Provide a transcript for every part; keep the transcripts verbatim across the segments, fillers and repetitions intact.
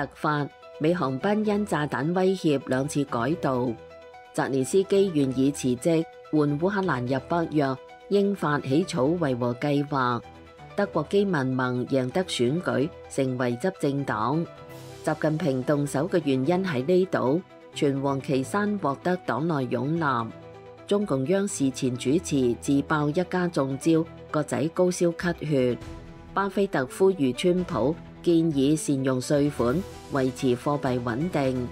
突發，美航班因炸彈威脅兩次改道。澤連斯基願意辭職，換烏克蘭入北約，英法起草維和計劃。德國基民盟贏得選舉，成為執政黨。習近平動手嘅原因喺呢度，全王岐山獲得黨內擁立。中共央視前主持自爆一家中招，個仔高燒咳血。巴菲特呼籲川普建議善用稅款，維持貨幣穩定。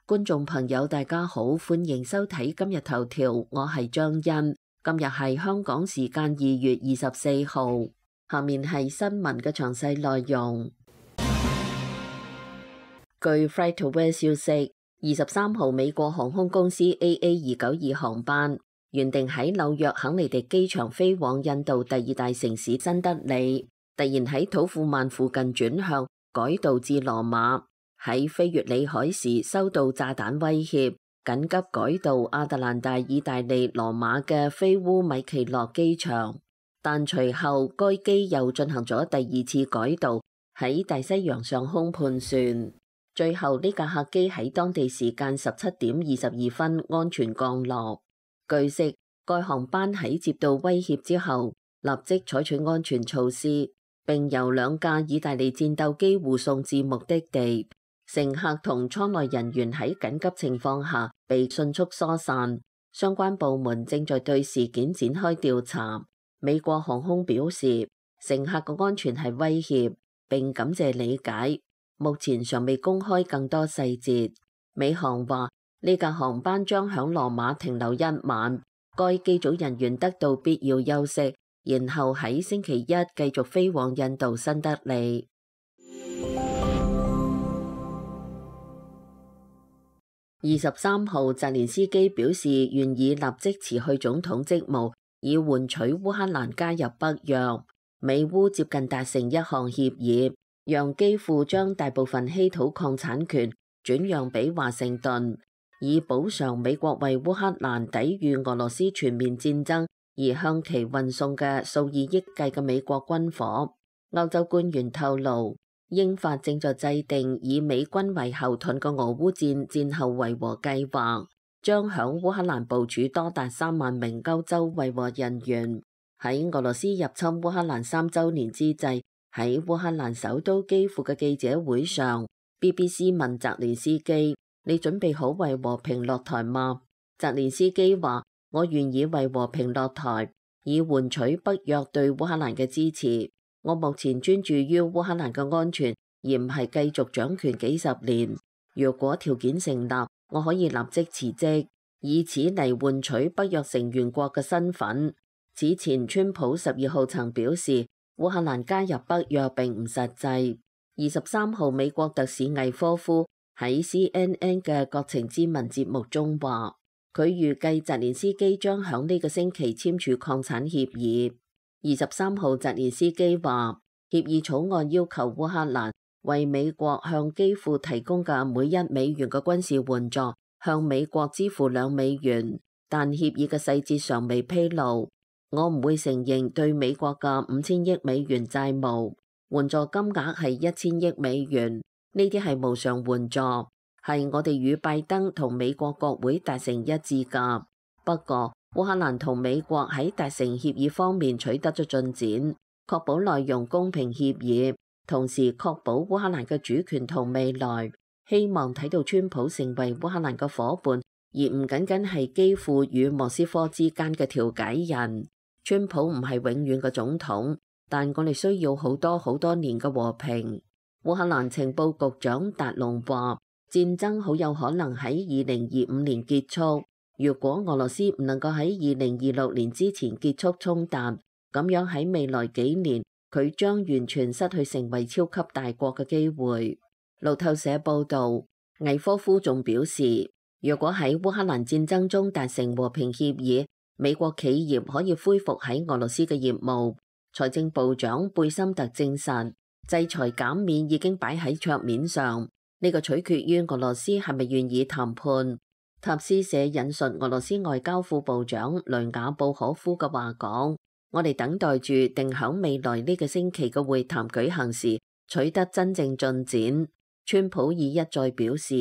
觀眾朋友，大家好，歡迎收睇今日頭條，我係張欣。今日係香港時間二月二十四號，下面係新聞嘅詳細內容。據 FlightAware 消息，二十三號美國航空公司 A A 二九二航班原定喺紐約肯尼迪機場飛往印度第二大城市新德里，突然喺土庫曼附近轉向，改道至羅馬。喺飛越里海時收到炸彈威脅，緊急改到亞特蘭大意大利羅馬嘅菲烏米奇諾機場，但隨後該機又進行咗第二次改道，喺大西洋上空盤旋。最後呢架客機喺當地時間十七點二十二分安全降落。據悉，該航班喺接到威脅之後，立即採取安全措施，並由兩架意大利戰鬥機護送至目的地。乘客同艙內人員喺緊急情況下被迅速疏散，相關部門正在對事件展開調查。美國航空表示，乘客嘅安全係威脅，並感謝理解，目前尚未公開更多細節。美航話呢架航班將響羅馬停留一晚，該機組人員得到必要休息，然後喺星期一繼續飛往印度新德里。二十三號，澤連斯基表示願意立即辭去總統職務，以換取烏克蘭加入北約。美烏接近達成一項協議，讓基輔將大部分稀土礦產權轉讓俾華盛頓，以補償美國為烏克蘭抵禦俄羅斯全面戰爭而向其運送嘅數以億計嘅美國軍火。歐洲官員透露，英法正在制定以美軍為後盾嘅俄烏戰戰後維和計劃，將響烏克蘭部署多達三萬名歐洲維和人員。喺俄羅斯入侵烏克蘭三週年之際，喺烏克蘭首都基輔嘅記者會上 ，B B C 問澤連斯基：你準備好為和平落台嗎？澤連斯基話：我願意為和平落台，以換取北約對烏克蘭嘅支持。我目前專注於烏克蘭嘅安全，而唔係繼續掌權幾十年。如果條件成立，我可以立即辭職，以此嚟換取北約成員國嘅身份。此前，川普十二號曾表示，烏克蘭加入北約並唔實際。二十三號，美國特使魏科夫喺 C N N 嘅國情咨文節目中話，佢預計澤連斯基將響呢個星期簽署礦產協議。二十三號，澤連斯基話，協議草案要求烏克蘭為美國向基輔提供嘅每一美元嘅軍事援助，向美國支付兩美元，但協議嘅細節尚未披露。我唔會承認對美國嘅五千億美元債務，援助金額係一千億美元，呢啲係無償援助，係我哋與拜登同美國國會達成一致㗎。不過，烏克蘭同美國喺達成協議方面取得咗進展，確保內容公平協議，同時確保烏克蘭嘅主權同未來。希望睇到川普成為烏克蘭嘅夥伴，而唔僅僅係基輔與莫斯科之間嘅調解人。川普唔係永遠嘅總統，但我哋需要好多好多年嘅和平。烏克蘭情報局長達龍話，戰爭好有可能喺二零二五年結束。如果俄羅斯唔能夠喺二零二六年之前結束衝突，咁樣喺未來幾年，佢將完全失去成為超級大國嘅機會。路透社報導，魏科夫仲表示，如果喺烏克蘭戰爭中達成和平協議，美國企業可以恢復喺俄羅斯嘅業務。財政部長貝森特證實，制裁減免已經擺喺桌面上，呢個取決於俄羅斯係咪願意談判。塔斯社引述俄羅斯外交副部長雷雅布可夫嘅話講，我哋等待住定響未來呢個星期嘅會談舉行時取得真正進展。川普已一再表示，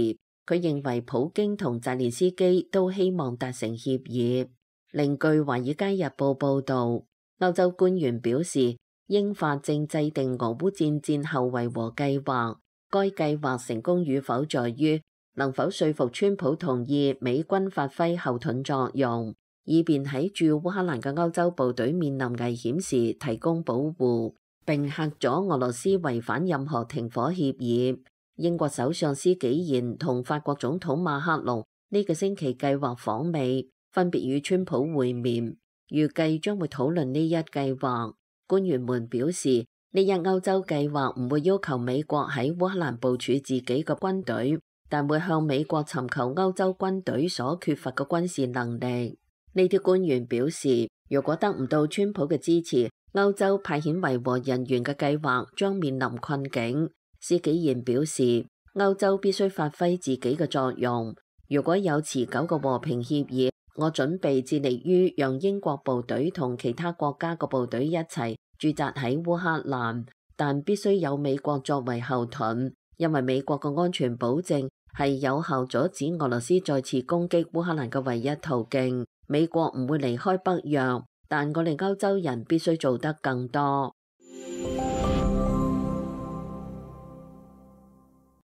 佢認為普京同澤連斯基都希望達成協議。另據《華爾街日報》報導，歐洲官員表示，英法正制定俄烏戰戰後維和計劃。該計劃成功與否在於能否說服川普同意美軍發揮後盾作用，以便喺駐烏克蘭嘅歐洲部隊面臨危險時提供保護，並嚇阻俄羅斯違反任何停火協議。英國首相施紀賢同法國總統馬克龍呢個星期計劃訪美，分別與川普會面，預計將會討論呢一計劃。官員們表示，呢一歐洲計劃唔會要求美國喺烏克蘭部署自己嘅軍隊，但會向美國尋求歐洲軍隊所缺乏嘅軍事能力。呢啲官員表示，如果得唔到川普嘅支持，歐洲派遣維和人員嘅計劃將面臨困境。施紀賢表示，歐洲必須發揮自己嘅作用。如果有持久嘅和平協議，我準備致力於讓英國部隊同其他國家嘅部隊一齊駐紮喺烏克蘭，但必須有美國作為後盾，因為美國嘅安全保證係有效阻止俄羅斯再次攻擊烏克蘭嘅唯一途徑。美國唔會離開北約，但我哋歐洲人必須做得更多。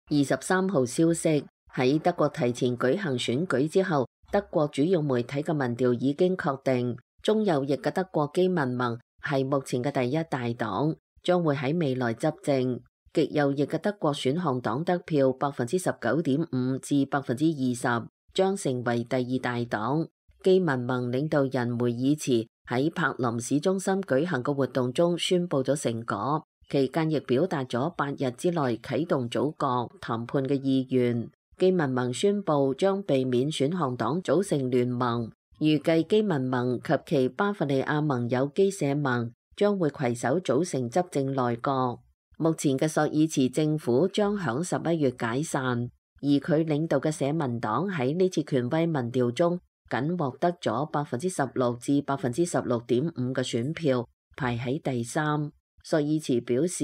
二十三號消息，喺德國提前舉行選舉之後，德國主要媒體嘅民調已經確定，中右翼嘅德國基民盟係目前嘅第一大黨，將會喺未來執政。極右翼嘅德國選項黨得票百分之十九點五至百分之二十，將成為第二大黨。基民盟領導人梅爾茨喺柏林市中心舉行嘅活動中宣布咗成果，期間亦表達咗八日之內啟動組閣談判嘅意願。基民盟宣布將避免選項黨組成聯盟，預計基民盟及其巴伐利亞盟友基社盟將會攜手組成執政內閣。目前嘅朔爾茨政府將響十一月解散，而佢領導嘅社民黨喺呢次權威民調中僅獲得咗百分之十六至百分之十六點五嘅選票，排喺第三。朔爾茨表示，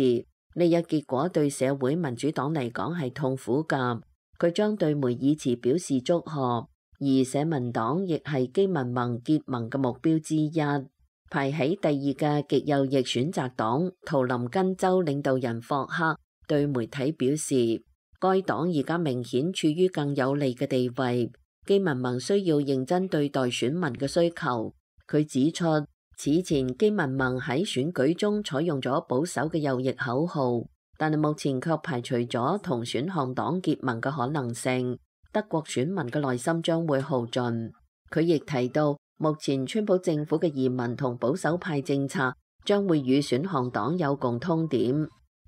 呢一結果對社會民主黨嚟講係痛苦㗎，佢將對梅爾茨表示祝賀，而社民黨亦係基民盟結盟嘅目標之一。排喺第二嘅極右翼選擇黨圖林根州領導人霍克對媒體表示，該黨而家明顯處於更有利嘅地位，基民盟需要認真對待選民嘅需求。佢指出，此前基民盟喺選舉中採用咗保守嘅右翼口號，但係目前卻排除咗同選項黨結盟嘅可能性。德國選民嘅內心將會耗盡。佢亦提到，目前川普政府嘅移民同保守派政策將會與選項黨有共通點。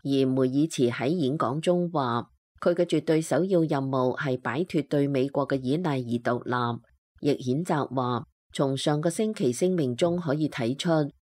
而梅爾茨喺演講中話，佢嘅絕對首要任務係擺脫對美國嘅依賴而獨立。亦譴責話，從上個星期聲明中可以睇出，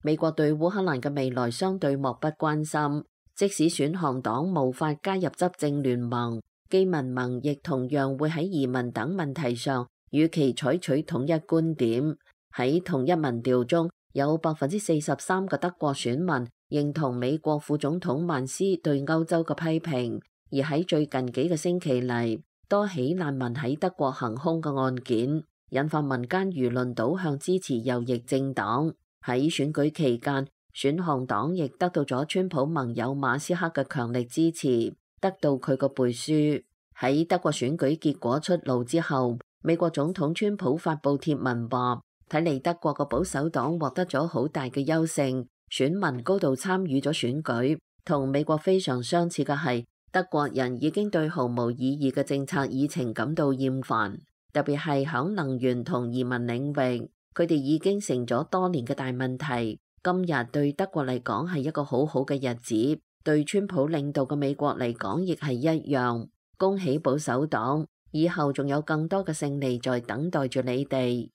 美國對烏克蘭嘅未來相對漠不關心。即使選項黨無法加入執政聯盟，基民盟亦同樣會喺移民等問題上與其採取統一觀點。喺同一民調中，有百分之四十三嘅德國選民認同美國副總統曼斯對歐洲嘅批評。而喺最近幾個星期嚟，多起難民喺德國行兇嘅案件，引發民間輿論倒向支持右翼政黨。喺選舉期間，選項黨亦得到咗川普盟友馬斯克嘅強力支持，得到佢個背書。喺德國選舉結果出爐之後，美國總統川普發布貼文話，睇嚟德國嘅保守黨獲得咗好大嘅優勝，選民高度參與咗選舉。同美國非常相似嘅係，德國人已經對毫無意義嘅政策議程感到厭煩，特別係響能源同移民領域，佢哋已經成咗多年嘅大問題。今日對德國嚟講係一個好好嘅日子，對川普領導嘅美國嚟講亦係一樣。恭喜保守黨，以後仲有更多嘅勝利在等待住你哋。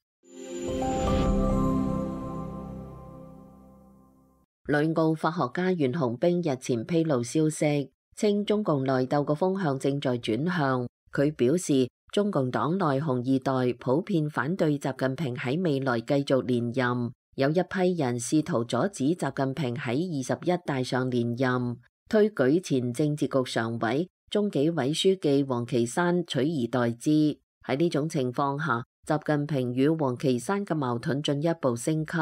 旅澳法學家袁洪兵日前披露消息，稱中共內鬥嘅風向正在轉向。佢表示，中共黨內紅二代普遍反對習近平喺未來繼續連任，有一批人試圖阻止習近平喺二十一大上連任，推舉前政治局常委、中紀委書記王岐山取而代之。喺呢種情況下，習近平與王岐山嘅矛盾進一步升級，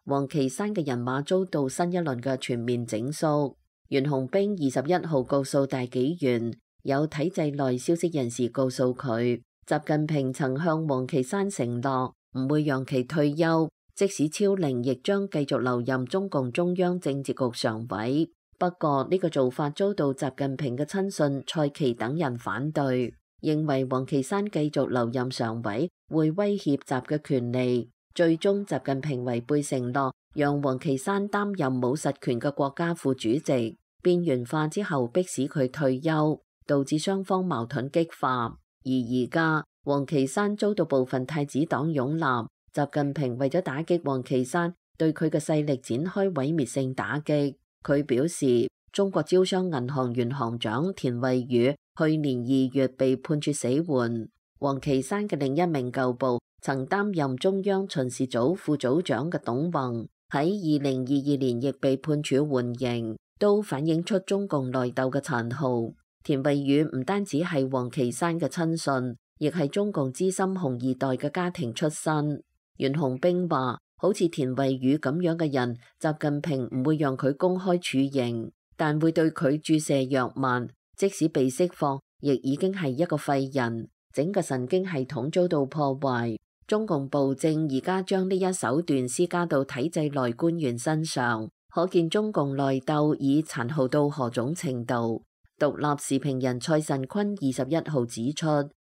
王岐山嘅人馬遭到新一輪嘅全面整肅。袁洪兵二十一號告訴大紀元，有體制內消息人士告訴佢，習近平曾向王岐山承諾唔會讓其退休，即使超齡亦將繼續留任中共中央政治局常委。不過呢個做法遭到習近平嘅親信蔡奇等人反對，認為王岐山繼續留任常委會威脅習嘅權利。最終習近平違背承諾，讓王岐山擔任冇實權嘅國家副主席，邊緣化之後迫使佢退休，導致雙方矛盾激化。而而家王岐山遭到部分太子黨擁立，習近平為咗打擊王岐山，對佢嘅勢力展開毀滅性打擊。佢表示，中國招商銀行原行長田惠宇去年二月被判處死緩。王岐山嘅另一名舊部曾擔任中央巡視組副組長嘅董宏喺二零二二年亦被判處緩刑，都反映出中共內鬥嘅殘酷。田惠宇唔單止係王岐山嘅親信，亦係中共資深紅二代嘅家庭出身。袁洪兵話，好似田惠宇咁樣嘅人，習近平唔會讓佢公開處刑，但會對佢注射藥物，即使被釋放，亦已經係一個廢人，整個神經系統遭到破壞。中共暴政而家將呢一手段施加到體制內官員身上，可見中共內鬥已殘酷到何種程度。獨立時評人蔡慎坤二十一號指出，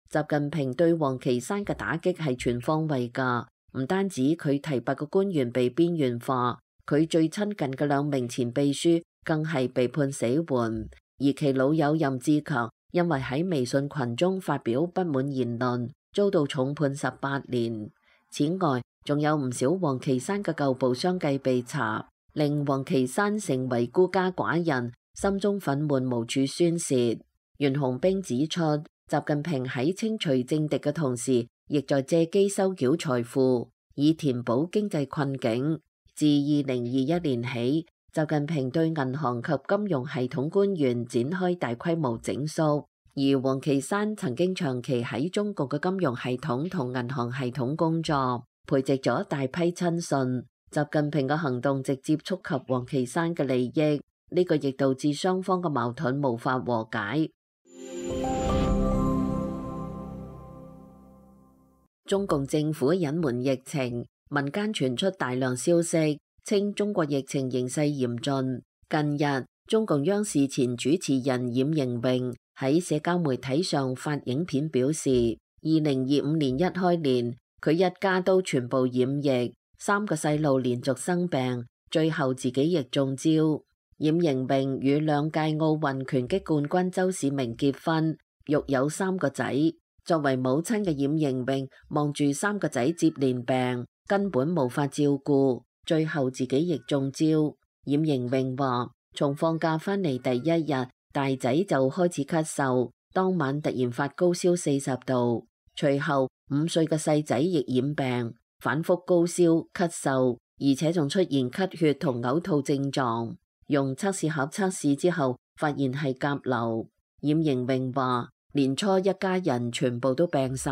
習近平對王岐山嘅打擊係全方位㗎，唔單止佢提拔嘅官員被邊緣化，佢最親近嘅兩名前秘書更係被判死緩，而其老友任志強因為喺微信群中發表不滿言論，遭到重判十八年。此外，仲有唔少王岐山嘅舊部相繼被查，令王岐山成為孤家寡人，心中憤懣無處宣洩。袁洪兵指出，習近平喺清除政敵嘅同時，亦在借機收繳財富，以填補經濟困境。自二零二一年起，習近平對銀行及金融系統官員展開大規模整肅，而王岐山曾經長期喺中國嘅金融系統同銀行系統工作，培植咗大批親信。習近平嘅行動直接觸及王岐山嘅利益，呢個亦導致雙方嘅矛盾無法和解。中共政府隱瞞疫情，民間傳出大量消息，稱中國疫情形勢嚴峻。近日，中共央視前主持人冉瑩榮喺社交媒體上發影片表示，二零二五年一開年，佢一家都全部染疫，三個細路連續生病，最後自己亦中招。冉瑩榮與兩屆奧運拳擊冠軍周市明結婚，育有三個仔。作為母親嘅冉瑩榮望住三個仔接連病，根本無法照顧，最後自己亦中招。冉瑩榮話，從放假返嚟第一日，大仔就開始咳嗽，當晚突然發高燒四十度，隨後五歲嘅細仔亦染病，反覆高燒、咳嗽，而且仲出現咳血同嘔吐症狀。用測試盒測試之後，發現係甲流。冉瑩榮話，年初一家人全部都病晒，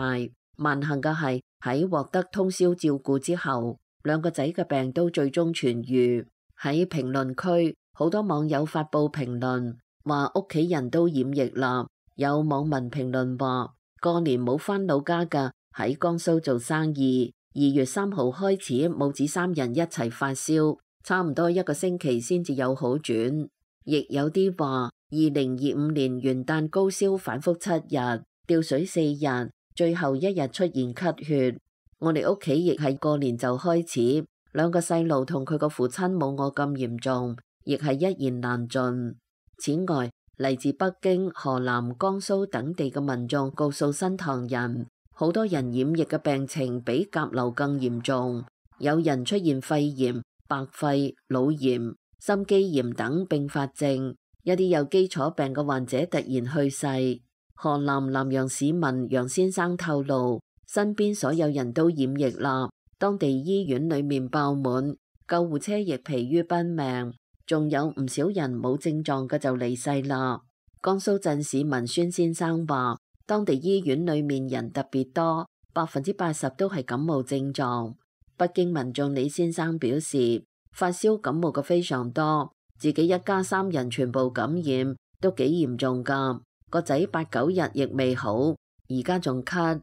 萬幸嘅係喺獲得通宵照顧之後，兩個仔嘅病都最終痊愈。喺評論區，好多網友發布評論，話屋企人都染疫啦。有網民評論話，過年冇返老家㗎，喺江蘇做生意。二月三號開始，母子三人一齊發燒，差唔多一個星期先至有好轉。亦有啲話，二零二五年元旦高燒反覆七日，吊水四日，最後一日出現咳血。我哋屋企亦係過年就開始，兩個細路同佢個父親冇我咁嚴重，亦係一言難盡。此外，嚟自北京、河南、江蘇等地嘅民眾告訴新唐人，好多人染疫嘅病情比甲流更嚴重，有人出現肺炎、白肺、腦炎、心肌炎等併發症，一啲有基礎病嘅患者突然去世。河南南陽市民楊先生透露，身邊所有人都染疫啦，當地醫院裏面爆滿，救護車亦疲於奔命，仲有唔少人冇症狀嘅就離世啦。江蘇鎮市民孫先生話，當地醫院裏面人特別多，百分之八十都係感冒症狀。北京民眾李先生表示，發燒感冒嘅非常多，自己一家三人全部感染，都幾嚴重㗎。個仔八九日亦未好，而家仲咳。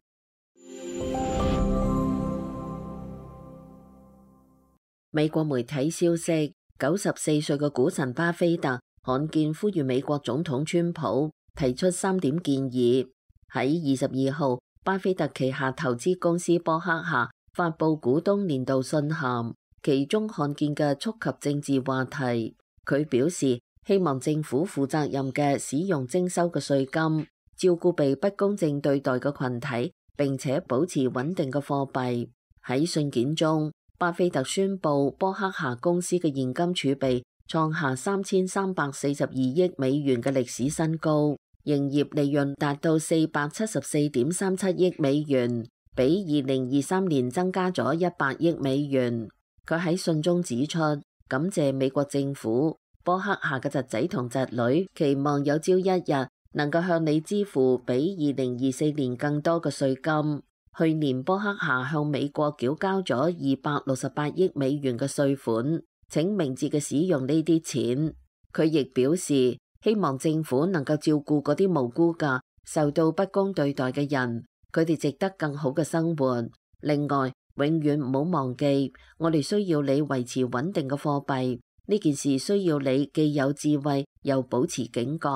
美國媒體消息，九十四歲嘅股神巴菲特罕見呼籲美國總統川普提出三點建議。喺二十二號，巴菲特旗下投資公司波克夏發布股東年度信函，其中罕見嘅觸及政治話題。佢表示希望政府負責任嘅使用徵收嘅稅金，照顧被不公正對待嘅群體，並且保持穩定嘅貨幣。喺信件中，巴菲特宣布波克夏公司嘅現金儲備創下三千三百四十二億美元嘅歷史新高，營業利潤達到四百七十四點三七億美元，比二零二三年增加咗一百億美元。佢喺信中指出，感謝美國政府，波克夏嘅侄仔同侄女期望有朝一日能夠向你支付比二零二四年更多嘅稅金。去年波克夏向美國繳交咗二百六十八億美元嘅稅款，請明智嘅使用呢啲錢。佢亦表示希望政府能夠照顧嗰啲無辜嘅受到不公對待嘅人，佢哋值得更好嘅生活。另外，永遠唔好忘記，我哋需要你維持穩定嘅貨幣，呢件事需要你既有智慧又保持警覺。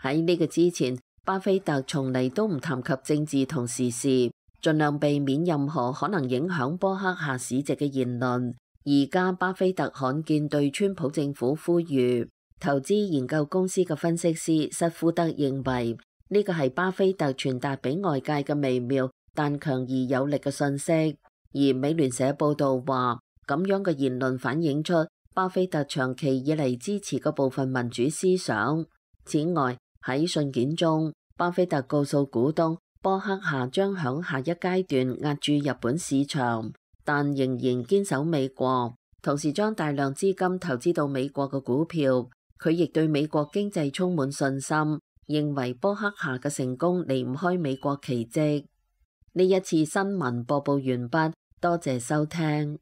喺呢個之前，巴菲特從嚟都唔談及政治同時事，盡量避免任何可能影響波克夏市值嘅言論。而家巴菲特罕見對川普政府呼籲。投資研究公司嘅分析師塞夫德認為，呢個係巴菲特傳達俾外界嘅微妙但強而有力嘅信息。而美聯社報道話，咁樣嘅言論反映出巴菲特長期以嚟支持嘅部分民主思想。此外，喺信件中，巴菲特告訴股東，波克夏將響下一階段壓住日本市場，但仍然堅守美國，同時將大量資金投資到美國嘅股票。佢亦對美國經濟充滿信心，認為波克夏嘅成功離唔開美國奇蹟。呢一次新聞播報完畢，多謝收聽。